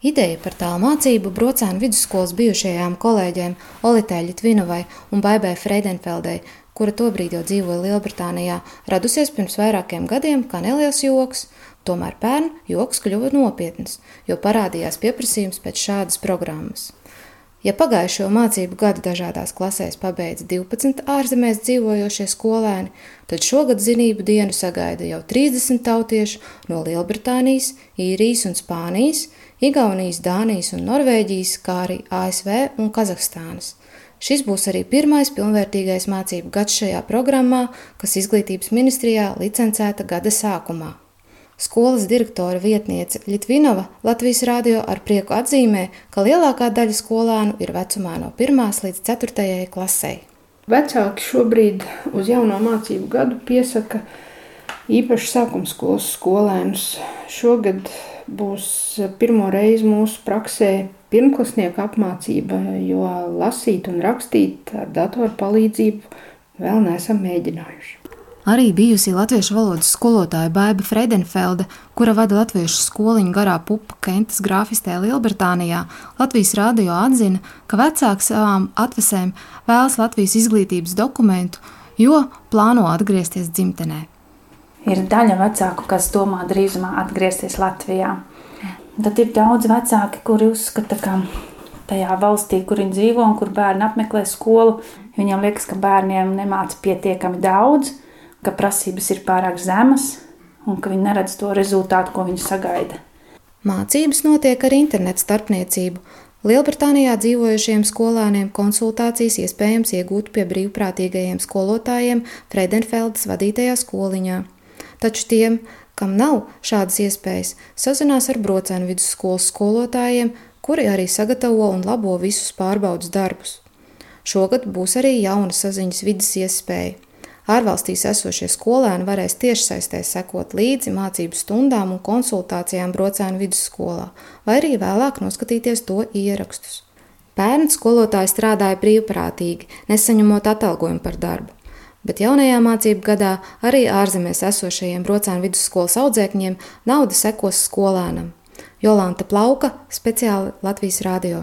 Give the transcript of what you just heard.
Ideja par tālmācību Brocēnu vidusskolas bijušajām kolēģiem Olitei Ļitvinovai un Baibai Freidenfeldei, kura tobrīd jau dzīvoja Lielbritānijā, radusies pirms vairākiem gadiem kā neliels joks. Tomēr pērn joks kļuva nopietns, jo parādījās pieprasījums pēc šādas programmas. Ja pagājušo mācību gadu dažādās klasēs pabeidza 12 ārzemēs dzīvojošie skolēni, tad šogad zinību dienu sagaida jau 30 tautiešu no Lielbritānijas, Īrijas un Spānijas, Igaunijas, Dānijas un Norvēģijas, kā arī ASV un Kazahstānas. Šis būs arī pirmais pilnvērtīgais mācību gads šajā programmā, kas Izglītības ministrijā licencēta gada sākumā. Skolas direktora vietniece Ļitvinova Latvijas radio ar prieku atzīmē, ka lielākā daļa skolēnu ir vecumā no 1. līdz 4. klasei. Vecāki šobrīd uz jauno mācību gadu piesaka īpaši sākumskolas skolēnus. Šogad būs pirmo reizi mūsu praksē pirmklasnieku apmācība, jo lasīt un rakstīt ar datoru palīdzību vēl neesam mēģinājuši. Arī bijusi latviešu valodas skolotāja Baiba Freidenfelde, kura vada latviešu skoliņu Garā pupa Kentas grāfistē Lielbritānijā, Latvijas radio atzina, ka vecāki savām atvesēm vēlas Latvijas izglītības dokumentu, jo plāno atgriezties dzimtenē. Ir daļa vecāku, kas domā drīzumā atgriezties Latvijā. Tad ir daudz vecāki, kuri uzskata, ka tajā valstī, kur viņi dzīvo un kur bērni apmeklē skolu, viņiem liekas, ka bērniem nemāca pietiekami daudz, ka prasības ir pārāk zemas un ka viņi neredz to rezultātu, ko viņi sagaida. Mācības notiek ar internetu starpniecību. Lielbritānijā dzīvojušiem skolēniem konsultācijas iespējams iegūt pie brīvprātīgajiem skolotājiem Freidenfeldes vadītajā skoliņā. Taču tiem, kam nav šādas iespējas, sazinās ar Brocēnu vidusskolas skolotājiem, kuri arī sagatavo un labo visus pārbaudes darbus. Šogad būs arī jauna saziņas vides iespēja. Ārvalstīs esošie skolēni varēs tiešsaistē sekot līdzi mācību stundām un konsultācijām Brocēnu vidusskolā, vai arī vēlāk noskatīties to ierakstus. Pērn skolotāji strādāja brīvprātīgi, nesaņemot atalgojumu par darbu, bet jaunajā mācību gadā arī ārzemēs esošajiem Brocēnu vidusskolas audzēkņiem nauda sekos skolēnam. Jolanta Plauka, speciāli Latvijas radio.